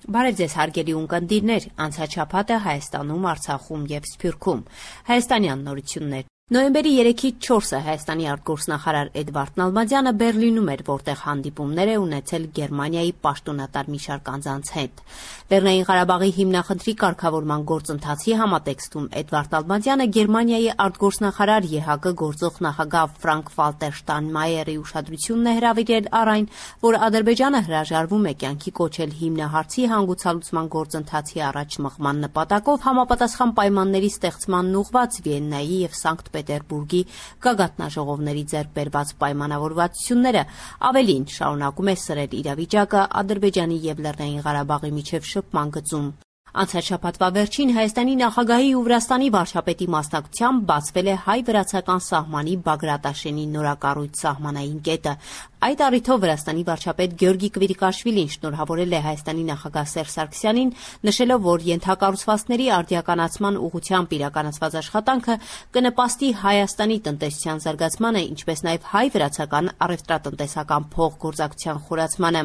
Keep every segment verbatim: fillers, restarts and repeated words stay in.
Բարև ձեզ հարգելի ունկնդիրներ, անցաչափաթը Հայաստանում, Արցախում և Սփյուռքում։ Հայաստանյան նորություններ։ Նոյեմբերի երեքից չորսը Հայաստանի արտգործնախարար Էդվարդ Նալբանդյանը Բեռլինում էր, որտեղ հանդիպումներ է ունեցել Գերմանիայի պաշտոնատար մի շարք անձանց հետ։ Լեռնային Ղարաբաղի հիմնախնդրի կարգավորման գործընթացի համատեքստում Էդվարդ Նալբանդյանը Գերմանիայի արտգործնախարար ԵՀԿ գործող նախագահ Ֆրանկ Վալտեր Շտայնմայերի ուշադրությունն է հրավիրել առ այն, որ Ադրբեջանը հրաժարվում է կյանքի կոչել հիմնահարցի հանգուցալուծման գործընթացի առաջ մղման նպատակով համապատասխան պայմանների ստեղծմանն ուղղված Վիեննայի և Սանկտ Պետերբուրգի գագաթնաժողովների ձեռք բերված պայմանավորվածությունները, ավելին շարունակում է սրել իրավիճակը Ադրբեջանի և Լեռնային Ղարաբաղի միջև շփման գծում։ Անցած շաբաթվա վերջին Հայաստանի նախագահի ու Վրաստանի վարչապետի մասնակցությամբ բացվել է հայ-վրացական սահմանի Բագրատաշենի նորակառույց սահմանային կետը։ Այդ առիթով Վրաստանի վարչապետ Գյորգի Կվիրիկաշվիլին շնորհավորել է Հայաստանի նախագահ Սերժ Սարգսյանին, նշելով, որ ենթակառուցվածքների արդիականացման ուղղությամբ իրականացված աշխատանքը կնպաստի Հայաստանի տնտեսության զարգացմանը, ինչպես նաև հայ-վրացական առևտրատնտեսական փոխգործակցության խորացմանը։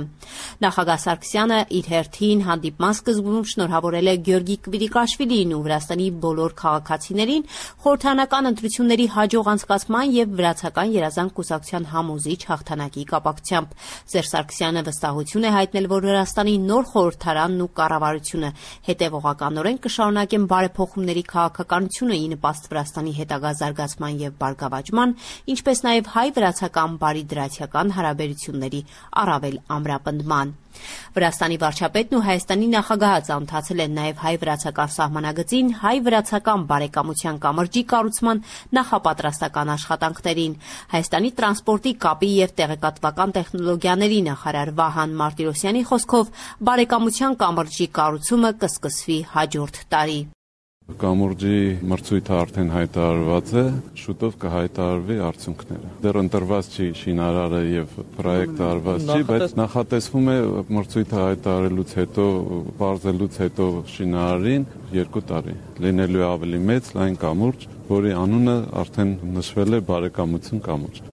Նախագահ Սարգսյանը իր հերթին հանդիպման սկզբում շնորհավորել է Գյորգի Կվիրիկաշվիլիին ու Վրաստանի բոլոր քաղաքացիներին խորհրդարանական ընտրությունների հաջող անցկացման և վրացական երազանք կուսակցության համոզիչ հաղթանակի կապակցությամբ։ Սերժ Սարգսյանը վստահություն է հայտնել, որ Վրաստանի նոր խորհրդարանն ու կառավարությունը հետևողականորեն կշարունակեն բարեփոխումների քաղաքականությունը ի նպաստ Վրաստանի հետագա զարգացման և բարգավաճման, ինչպես նաև հայ-վրացական բարիդրացիական հարաբերությունների առավել ամրապնդման։ Վրաստանի վարչապետն ու Հայաստանի նախագահը ծանոթացել են նաև հայ-վրացական սահմանագծին, հայ-վրացական բարեկամության կամրջի կառուցման նախապատրաստական աշխատանքներին։ Հայաստանի տրանսպորտի, կապի և տեղեկատվական տեխնոլոգիաների նախարար Վահան Մարտիրոսյանի խոսքով բարեկամության կամրջի կառուցումը կսկսվի հաջորդ տարի։ Կամուրջի մրցույթը արդեն հայտարարված է, շուտով կհայտարարվի արդյունքները։ Դեռ ընտրված չի շինարարը եւ պրոյեկտը արված չի, բայց նախատեսվում է մրցույթը հայտարարելուց հետո, բարձելուց հետո շինարարին երկու տարի լինելու է ավելի մեծ լայն կամուրջ, որի անունը արդեն նշվել է բարեկամություն կամուրջ։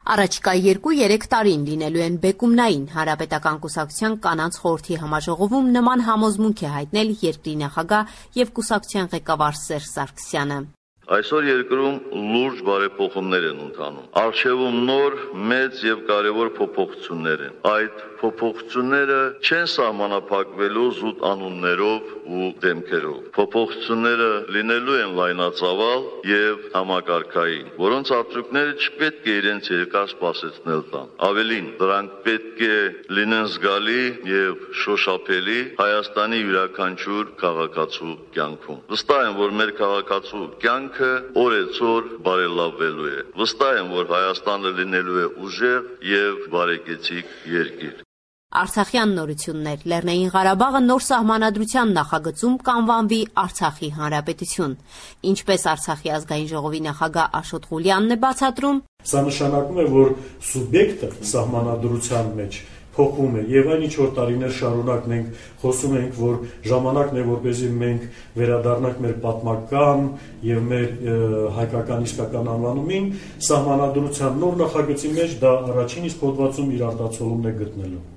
Առաջիկա երկու-երեք տարին լինելու են բեկումնային հանրապետական կուսակցության կանանց խորհրդի համաժողովում նման համոզմունք է հայտնել երկրի նախագահ և կուսակցության ղեկավար Սերժ Սարգսյանը։ Այսօր երկրում լուրջ բարեփոխումներ են ընթանում։ Առջևում նոր, մեծ եւ կարևոր փոփոխություններ են։ Այդ փոփոխությունները չեն սահմանափակվելու զուտ անուններով ու դեմքերով։ Փոփոխությունները լինելու են լայնածավալ եւ համակարգային, որոնց արդյունքները չպետք է իրենց երկար սպասեցնել տան։ Ավելին, դրանք պետք է լինեն զգալի եւ շոշափելի Հայաստանի յուրաքանչյուր քաղաքացու կյանքում։ Վստահ եմ, որ մեր քաղաքացու կյանքը օրեցօր բարելավվելու է։ Վստահ եմ, որ Հայաստանը լինելու է ուժեղ եւ բարեկեցիկ երկիր։ Արցախյան նորություններ։ Լեռնային Ղարաբաղը նոր սահմանադրության նախագծում կանվանվի Արցախի Հանրապետություն։ Ինչպես Արցախի ազգային ժողովի նախագահ Աշոտ Ղուլյանն է բացատրում, սա նշանակում է, որ սուբյեկտը սահմանադրության մեջ փոխում է եւ այն ինչ որ տարիներ շարունակ մենք խոսում ենք, որ ժամանակն է, որպեսզի մենք վերադառնանք մեր պատմական եւ մեր հայկական իսկական անվանումին, սահմանադրության նոր նախագծի մեջ դա առաջին իսկ հոդվածում իր արտացոլումն է գտնելու։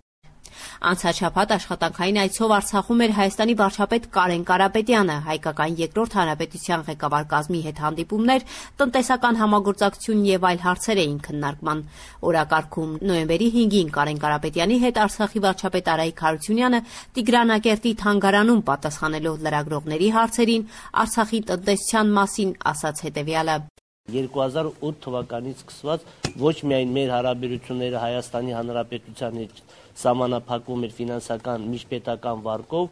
Անցած շաբաթ աշխատանքային այցով Արցախում էր Հայաստանի վարչապետ Կարեն Կարապետյանը, հայկական երկրորդ հանրապետության ղեկավար կազմի հետ հանդիպումներ, տնտեսական համագործակցություն եւ այլ հարցեր էին քննարկման օրակարգում։ Նոյեմբերի հինգին Կարեն Կարապետյանի հետ Արցախի վարչապետ Արայիկ Հարությունյանը Տիգրանակերտի թանգարանում պատասխանելով լրագրողների հարցերին Արցախի տնտեսության մասին ասաց հետեւյալը. երկու հազար ութ թվականից սկսված ոչ միայն մեր հարաբերությունները Հայաստանի Հանրապետության հետ սահմանափակվում էր ֆինանսական միջպետական վարկով,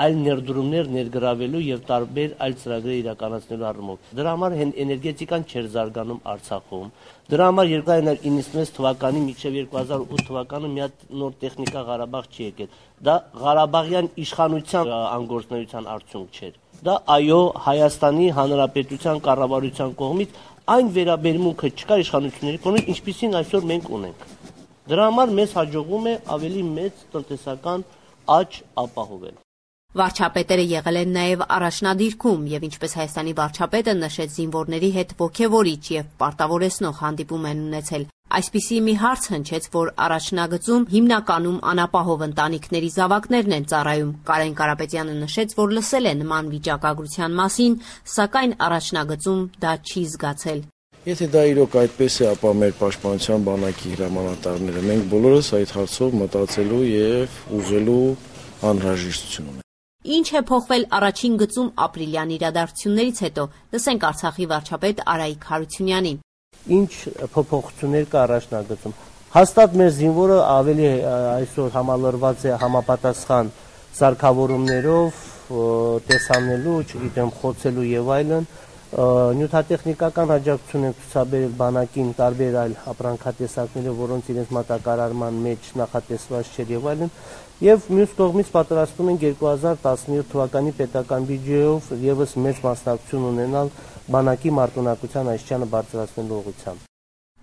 այլ ներդրումներ ներգրավելու եւ տարբեր այլ ծրագրեր իրականացնելու առումով։ Դրա համար էներգետիկան չէր զարգանում Արցախում։ Դրա համար երկու հազար իննսունվեց թվականի մինչև երկու հազար ութ թվականը մի հատ նոր տեխնիկա Ղարաբաղ չի եկել։ Դա Ղարաբաղյան իշխանության անգործնության արդյունք չէր։ Դա այո Հայաստանի Հանրապետության կառավարության կողմից այն վերաբերմունքը չկար իշխանությունների կողմից, ինչպիսին այսօր մենք ունենք։ Դրա համար մեզ հաջողվում է ավելի մեծ տնտեսական աճ ապահովել։ Վարչապետերը եղել են նաև առաջնադիրքում եւ ինչպես Հայաստանի վարչապետը նշեց, զինվորների հետ ոգևորիչ եւ պարտավորեցնող հանդիպում են ունեցել։ Այսպիսի մի հարց հնչեց, որ առաջնագծում հիմնականում անապահով ընտանիքների զավակներն են ծառայում։ Կարեն Կարապետյանը նշեց, որ լսել է նման վիճակագրության մասին, սակայն առաջնագծում դա չի զգացել։ Եթե դա իրոք այդպես է, ապա մեր պաշտպանության բանակի հրամանատարները մենք բոլորս այդ հարցով մտածելու եւ ուղղելու անհրաժեշտություն ունենք։ Ինչ է փոխվել առաջին գծում ապրիլյան իրադարձություններից հետո, լսենք Արցախի վարչապետ Արայիկ Հարությունյանին։ Ինչ փոփոխություններ կա առաջնագծում։ Հաստատ մեր զինվորը ավելի այսօր համալրված է համապատասխան սարքավորումներով, տեսանելու, չգիտեմ, խոցելու եւ այլն։ Նյութատեխնիկական աջակցություն են ցուցաբերել բանակին տարբեր այլ ապրանքատեսակները, որոնց իրենց մատակարարման մեջ նախատեսված չէր եւ այլն, եւ մյուս կողմից պատրաստում են երկու հազար տասնյոթ թվականի պետական բյուջեով եւս մեծ մասնակցություն ունենալ բանակի մարտունակության այսչանը բարձրացնելու ուղղությամբ։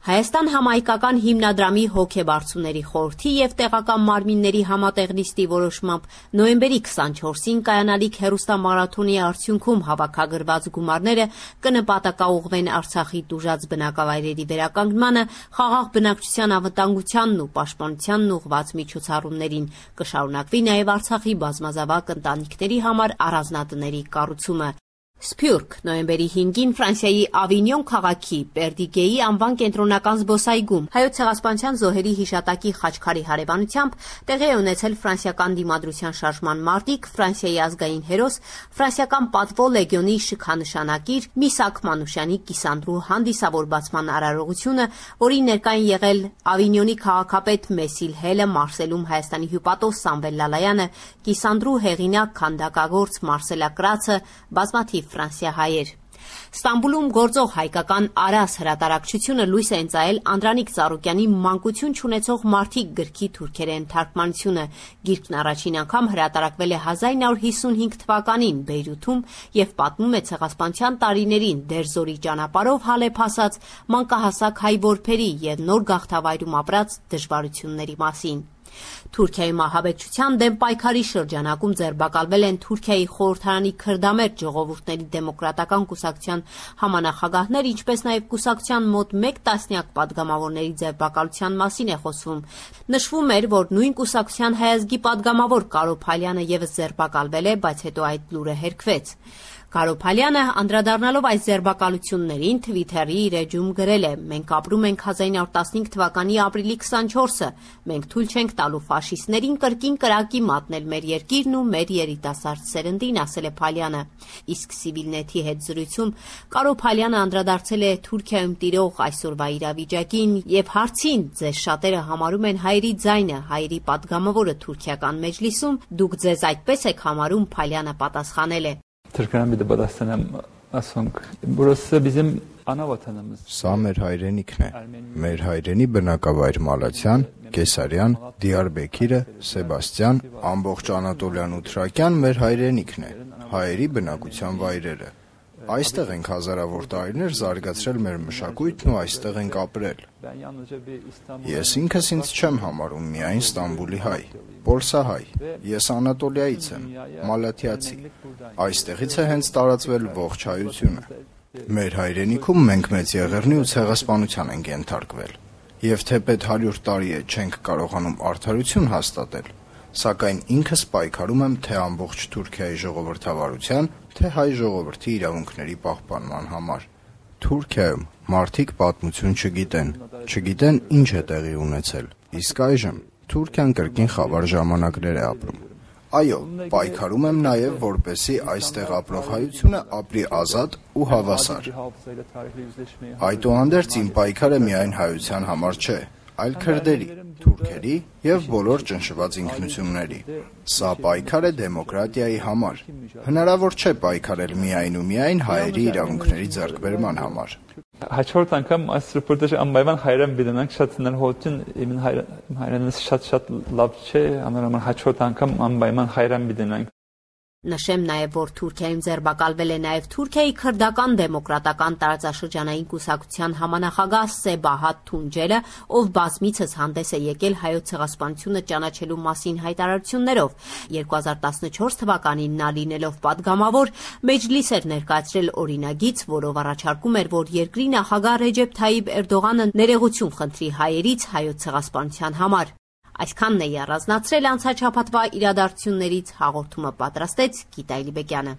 Հայաստան համայնքական հիմնադրամի հոգեբարձուների խորհրդի եւ տեղական մարմինների համատեղ նիստի որոշմամբ նոյեմբերի քսանչորսին կայանալիք հերոստամարաթոնի արդյունքում հավաքագրված գումարները կնպատակաուղղվեն Արցախի տուժած բնակավայրերի վերականգնմանը, խաղաղ բնակչության անվտանգությանն ու պաշտպանությանն ուղղված միջոցառումներին։ Կշարունակվի նաեւ Արցախի բազմազավակ ընտանիքների համար առանձնատների կառուցումը։ Սփյուռք նոյեմբերի հինգին Ֆրանսիայի Ավինյոն քաղաքի Պերդիգեի անվան կենտրոնական զբոսայգում հայոց ցեղասպանության զոհերի հիշատակի խաչքարի հարևանությամբ տեղի է ունեցել ֆրանսիական դիմադրության շարժման մարտիկ, Ֆրանսիայի ազգային հերոս, ֆրանսիական պատվո լեգիոնի շքանշանակիր Միսակ Մանուշյանի կիսանդրու հանդիսավորվածման արարողությունը, որի ներկա են եղել Ավինյոնի քաղաքապետ Մեսիլ Հելը, Մարսելում Հայաստանի հյուպատոս Սամվել Լալայանը, կիսանդրու հեղինակ քանդակագործ Մարսելա Կրացը, բազմաթիվ ֆրանսիահայեր։ Ստամբուլում գործող հայկական Արաս հրատարակչությունը լույս է ընծայել Անդրանիկ Ծառուկյանի «Մանկություն չունեցող մարդիկ» գրքի թուրքերեն թարգմանությունը։ Գիրքն առաջին անգամ հրատարակվել է հազար ինը հարյուր հիսունհինգ թվականին Բեյրութում եւ պատմում է ցեղասպանության տարիներին Դերզորի ճանապարհով հալեփ հասած մանկահասակ հայ որբերի եւ նոր գաղթավայրում ապրած դժվարությունների մասին։ Թուրքիայում ահաբեկչության դեմ պայքարի շրջանակում ձերբակալվել են Թուրքիայի խորհրդարանի քրդամերձ ժողովուրդների դեմոկրատական կուսակցության համանախագահներ, ինչպես նաև կուսակցության մոտ մեկ տասնյակ падգամավորների ձերբակալության մասին է խոսվում։ Նշվում էր, որ նույն կուսակցության հայազգի падգամավոր Կարո Փալյանը եւս ձերբակալվել է, բայց հետո այդ լուրը հերքվեց։ Կարո Փալյանը անդրադառնալով այս ձերբակալություններին Թվիթերի իր էջում գրել է. «Մենք ապրում ենք հազար ինը հարյուր տասնհինգ թվականի ապրիլի քսանչորսը, մենք թույլ չենք տալու ֆաշիստներին կրկին կրակի մատնել մեր երկիրն ու մեր երիտասարդ սերնդին», ասել է Փալյանը։ Իսկ Civilnet-ի հետ զրույցում Կարո Փալյանը անդրադարձել է Թուրքիայում տիրող այսօրվա իրավիճակին եւ հարցին. «Ձեզ շատերը համարում են հայերի ձայնը, հայերի падգամավորը Թուրքիական մեջլիսում, դուք ձեզ այդպես եք համարում», Փալյանը պատասխանել է. Türkmen bir de badastanım asong. Burası bizim ana vatanımız. Սա մեր հայրենիքն է։ Մեր հայրենի բնակավայր Մալացյան, Կեսարյան, Դիարբեքիրը, Սեբաստիան, ամբողջ Անատոլյան ու Թրակյան մեր հայրենիքն է։ Հայերի բնակության վայրերը։ Այստեղ ենք հազարավոր տարիներ զարգացրել մեր մշակույթն ու այստեղ ենք ապրել։ Ես ինքս ինձ չեմ համարում միայն Ստամբուլի հայ, պոլսահայ։ Ես Անատոլիայից եմ, մալաթիացի։ Այստեղից է հենց տարածվել ողջ հայությունը։ Մեր հայրենիքում մենք մեծ եղեռնի ու ցեղասպանության ենք ենթարկվել։ Եվ թեպետ հարյուր տարի է չենք կարողանում արդարություն հաստատել, սակայն ինքս պայքարում եմ թե ամբողջ Թուրքիայի ժողովրդավարության, թե հայ ժողովրդի իրավունքների պահպանման համար։ Թուրքիայում մարդիկ պատմություն չգիտեն, չգիտեն ինչ է տեղի ունեցել։ Իսկ այժմ Թուրքիան կրկին խավար ժամանակներ է ապրում։ Այո, պայքարում եմ նաև, որպեսզի այստեղ ապրող հայությունը ապրի ազատ ու հավասար։ Այդուհանդերձ իմ պայքարը միայն հայության համար չէ, այլ քրդերի, թուրքերի եւ բոլոր ճնշված ինքնությունների։ Սա պայքար է դեմոկրատիայի համար։ Հնարավոր չէ պայքարել միայն ու միայն հայերի իրավունքների ձեռքբերման համար։ Հաջորդ անգամ այս ռեպորտաժը անպայման հայրեն բիդանանք շատ հնարավորություն իմ հայրենից շատ շատ լավ չէ, անորոշ հաջորդ անգամ անպայման հայրեն բիդանանք։ Նշեմ նաև, որ Թուրքիայում ձերբակալվել է նաև Թուրքիայի քրդական դեմոկրատական տարածաշրջանային կուսակցության համանախագահ Սեբահատ Թունջելը, ով բազմիցս հանդես է եկել հայոց ցեղասպանությունը ճանաչելու մասին հայտարարություններով։ երկու հազար տասնչորս թվականին նա լինելով падգամավոր Մեջլիս էր ներկայացրել օրինագիծ, որով առաջարկում էր, որ երկրի նախագահ Ռեջեփ Թայիփ Էրդողանը ներողություն խնդրի հայերից հայոց ցեղասպանության համար։ Այսքանն էի առանձնացրել անցած շաբաթվա իրադարձություններից, հաղորդումը պատրաստեց Գիտա Իլիբեկյանը։